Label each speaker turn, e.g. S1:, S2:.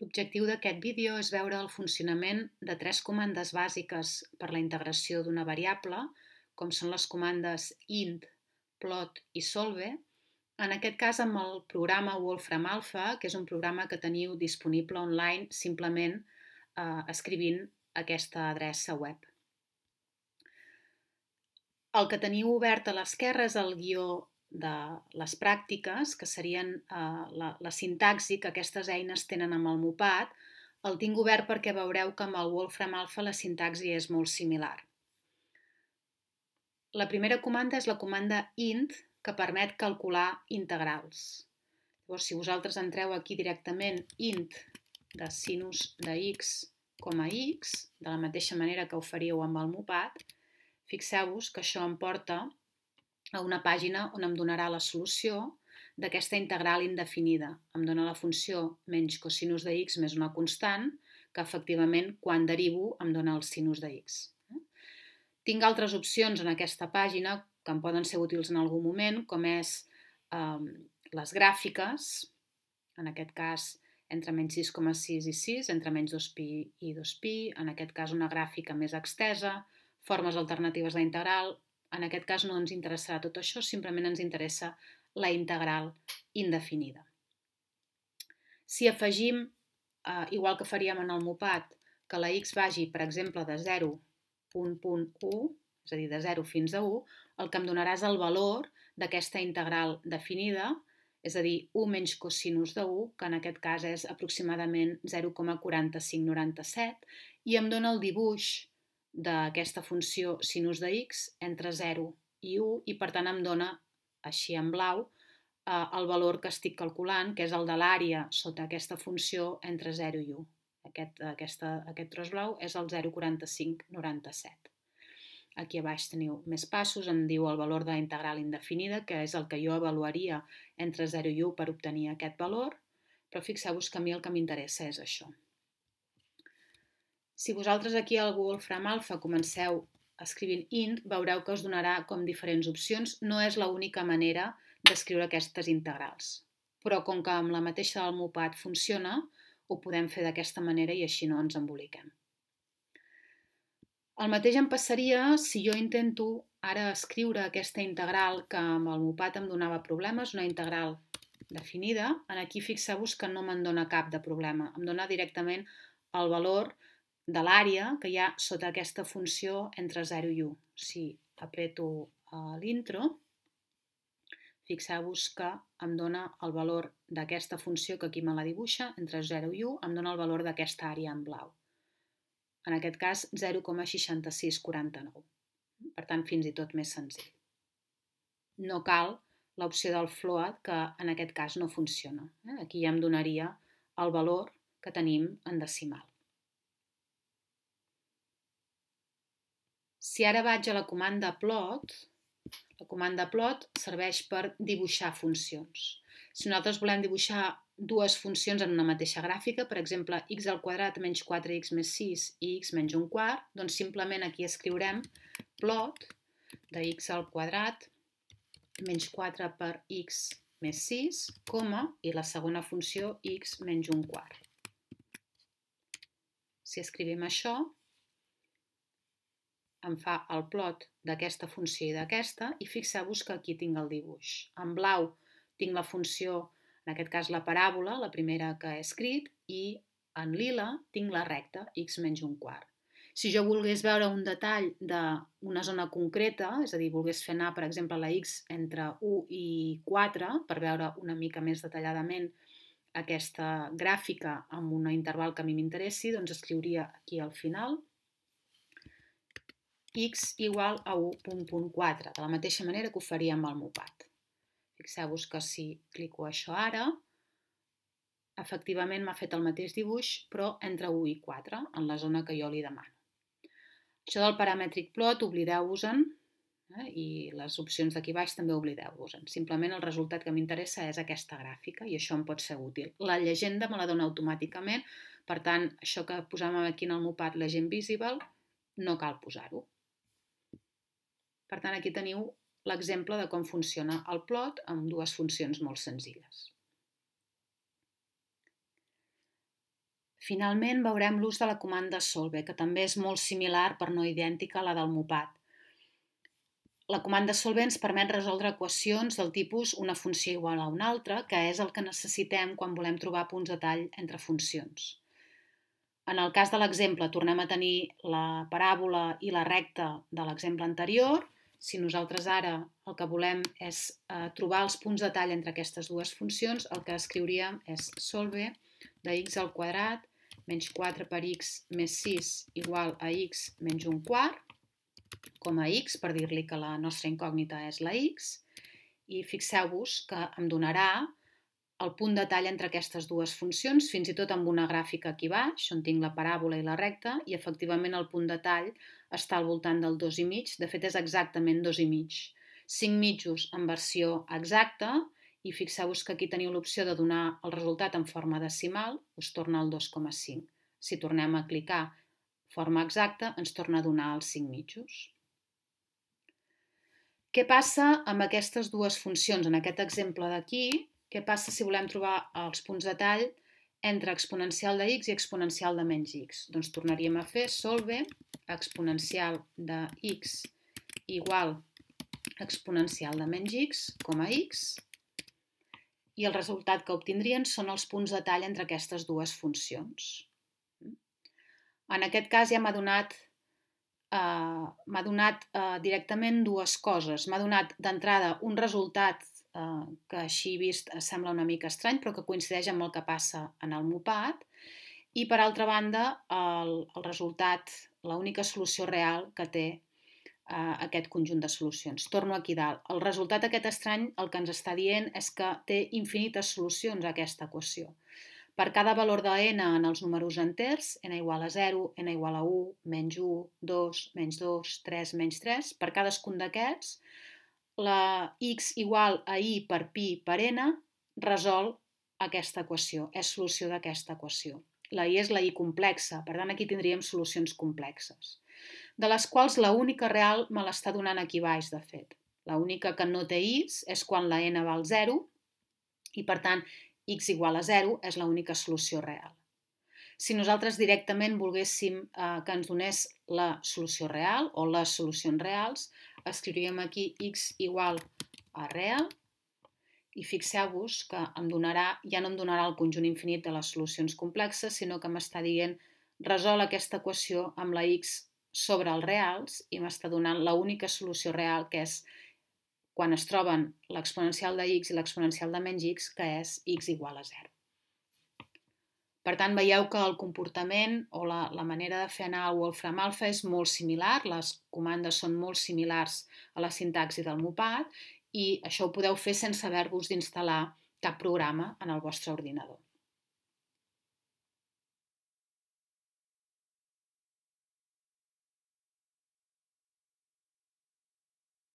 S1: L'objectiu d'aquest vídeo és veure el funcionament de 3 comandes bàsiques per la integració d'una variable, com són les comandes int, plot i solve, en aquest cas amb el programa Wolfram Alpha, que és un programa que teniu disponible online simplement escrivint aquesta adreça web. El que teniu obert a l'esquerra és el guió de les pràctiques, que serien la sintaxi que aquestes eines tenen amb el Mopad. El tinc obert perquè veureu que amb el Wolfram Alpha la sintaxi és molt similar. La primera comanda és la comanda int, que permet calcular integrals. Llavors, si vosaltres entreu aquí directament int de sinus de x com a x, de la mateixa manera que ho faríeu amb el Mopad, fixeu-vos que això em porta a una pàgina on em donarà la solució d'aquesta integral indefinida. Em dona la funció menys cosinus de x més una constant, que efectivament quan derivo em dona el sinus de x. Tinc altres opcions en aquesta pàgina que em poden ser útils en algun moment, com és les gràfiques, en aquest cas entre menys 6,6 i 6, entre menys 2pi i 2pi, en aquest cas una gràfica més extesa, formes alternatives d'integral. En aquest cas no ens interessarà tot això, simplement ens interessa la integral indefinida. Si afegim, igual que faríem en el Mopad, que la x vagi, per exemple, de 0,1, és a dir, de 0 fins a 1, el que em donarà és el valor d'aquesta integral definida, és a dir, 1 menys cosinus de 1, que en aquest cas és aproximadament 0,4597, i em dona el dibuix d'aquesta funció sinus de x entre 0 i 1 i per tant em dona, així en blau, el valor que estic calculant, que és el de l'àrea sota aquesta funció entre 0 i 1. Aquest tros blau és el 0,4597. Aquí a baix teniu més passos, em diu el valor de la integral indefinida, que és el que jo avaluaria entre 0 i 1 per obtenir aquest valor, però fixeu-vos que a mi el que m'interessa és això. Si vosaltres aquí al Wolfram Alpha comenceu escrivint int, veureu que us donarà com diferents opcions. No és l'única manera d'escriure aquestes integrals. Però com que amb la mateixa del Mopad funciona, ho podem fer d'aquesta manera i així no ens emboliquem. El mateix em passaria si jo intento ara escriure aquesta integral que amb el Mopad em donava problemes, una integral definida. Aquí fixeu-vos que no me'n dona cap de problema. Em dona directament el valor de l'àrea que hi ha sota aquesta funció entre 0 i 1. Si apreto l'intro, fixeu-vos que em dona el valor d'aquesta funció que aquí me la dibuixa, entre 0 i 1, em dona el valor d'aquesta àrea en blau. En aquest cas, 0,6649. Per tant, fins i tot més senzill. No cal l'opció del float, que en aquest cas no funciona. Aquí ja em donaria el valor que tenim en decimal. Si ara vaig a la comanda plot serveix per dibuixar funcions. Si nosaltres volem dibuixar dues funcions en una mateixa gràfica, per exemple, x al quadrat menys 4x més 6 i x menys un quart, doncs simplement aquí escriurem plot de x al quadrat menys 4 per x més 6, coma, i la segona funció x menys un quart. Si escrivim això, em fa el plot d'aquesta funció i d'aquesta, i fixeu-vos que aquí tinc el dibuix. En blau tinc la funció, en aquest cas la paràbola, la primera que he escrit, i en lila tinc la recta, x menys un quart. Si jo volgués veure un detall d'una zona concreta, és a dir, volgués fer anar, per exemple, la x entre 1 i 4, per veure una mica més detalladament aquesta gràfica amb un interval que a mi m'interessi, doncs escriuria aquí al final x igual a 1.4, de la mateixa manera que ho faria amb el Mopad. Fixeu-vos que si clico això ara, efectivament m'ha fet el mateix dibuix, però entre 1 i 4, en la zona que jo li demano. Això del paramètric plot, oblideu-vos-en, i les opcions d'aquí baix també oblideu-vos-en. Simplement el resultat que m'interessa és aquesta gràfica i això em pot ser útil. La llegenda me la dona automàticament, per tant, això que posàvem aquí en el Mopad, Legend Visible, no cal posar-ho. Per tant, aquí teniu l'exemple de com funciona el plot amb dues funcions molt senzilles. Finalment veurem l'ús de la comanda solve, que també és molt similar però no idèntica a la del mopat. La comanda solve ens permet resoldre equacions del tipus una funció igual a una altra, que és el que necessitem quan volem trobar punts de tall entre funcions. En el cas de l'exemple tornem a tenir la paràbola i la recta de l'exemple anterior. Si nosaltres ara el que volem és trobar els punts de tall entre aquestes dues funcions, el que escriuríem és solve de x al quadrat menys 4 per x més 6 igual a x menys un quart, com a x, per dir-li que la nostra incògnita és la x, i fixeu-vos que em donarà el punt de tall entre aquestes dues funcions, fins i tot amb una gràfica aquí baix, on tinc la paràbola i la recta, i efectivament el punt de tall està al voltant del 2,5, de fet és exactament 2,5. 5 mitjos en versió exacta, i fixeu-vos que aquí teniu l'opció de donar el resultat en forma decimal, us torna el 2,5. Si tornem a clicar forma exacta, ens torna a donar els 5 mitjos. Què passa amb aquestes dues funcions? En aquest exemple d'aquí, què passa si volem trobar els punts de tall entre exponencial de x i exponencial de menys x? Doncs tornaríem a fer solve exponencial de x igual a exponencial de menys x com a x, i el resultat que obtindrien són els punts de tall entre aquestes dues funcions. En aquest cas ja m'ha donat directament dues coses. M'ha donat d'entrada un resultat que així vist sembla una mica estrany, però que coincideix amb el que passa en el mopat, i per altra banda el resultat, l'única solució real que té aquest conjunt de solucions. Torno aquí dalt. El resultat aquest estrany el que ens està dient és que té infinites solucions a aquesta equació. Per cada valor de n en els números enters, n igual a 0, n igual a 1, menys 1, 2, menys 2, 3, menys 3, per cadascun d'aquests, la x igual a i per pi per n resol aquesta equació, és solució d'aquesta equació. La i és la i complexa, per tant aquí tindríem solucions complexes, de les quals l'única real me l'està donant aquí baix, de fet. L'única que no té i's és quan la n val 0 i, per tant, x igual a 0 és l'única solució real. Si nosaltres directament volguéssim que ens donés la solució real o les solucions reals, escriuríem aquí x igual a real i fixeu-vos que ja no em donarà el conjunt infinit de les solucions complexes, sinó que m'està dient resol aquesta equació amb la x sobre els reals i m'està donant l'única solució real, que és quan es troben l'exponencial de x i l'exponencial de menys x, que és x igual a 0. Per tant, veieu que el comportament o la manera de fer anar el Wolfram Alpha és molt similar, les comandes són molt similars a la sintaxi del mopat i això ho podeu fer sense haver-vos d'instal·lar cap programa en el vostre ordinador.